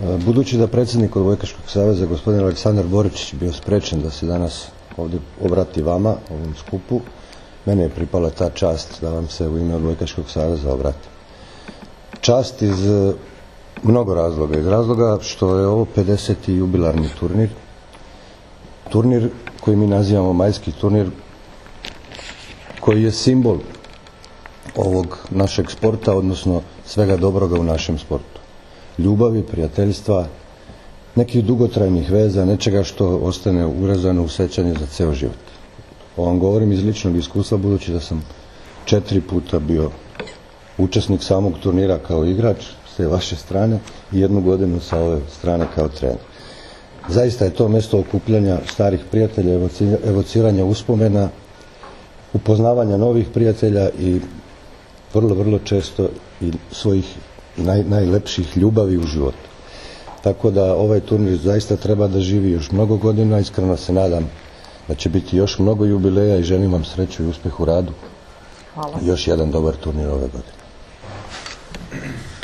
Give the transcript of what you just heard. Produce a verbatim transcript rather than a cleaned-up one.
Budući da predsjednik Odbojkaškog saveza, gospodin Aleksandar Boričić, bio sprečen da se danas ovdje obrati vama, ovom skupu, mene je pripala ta čast da vam se u ime Odbojkaškog saveza obrati. Čast iz mnogo razloga. Iz razloga što je ovo pedeseti jubilarni turnir. Turnir koji mi nazivamo majski turnir, koji je simbol ovog našeg sporta, odnosno svega dobroga u našem sportu. Ljubavi, prijateljstva, nekih dugotrajnih veza, nečega što ostane urezano u sećanju za ceo život. Ovo vam govorim iz ličnog iskustva, budući da sam četiri puta bio učesnik samog turnira kao igrač s te vaše strane i jednu godinu sa ove strane kao trener. Zaista je to mjesto okupljanja starih prijatelja, evociranja uspomena, upoznavanja novih prijatelja i vrlo, vrlo često i svojih naj, najlepših ljubavi u životu. Tako da ovaj turnir zaista treba da živi još mnogo godina. Iskreno se nadam da će biti još mnogo jubileja i želim vam sreću i uspjeh u radu. Hvala. I još jedan dobar turnir ove godine.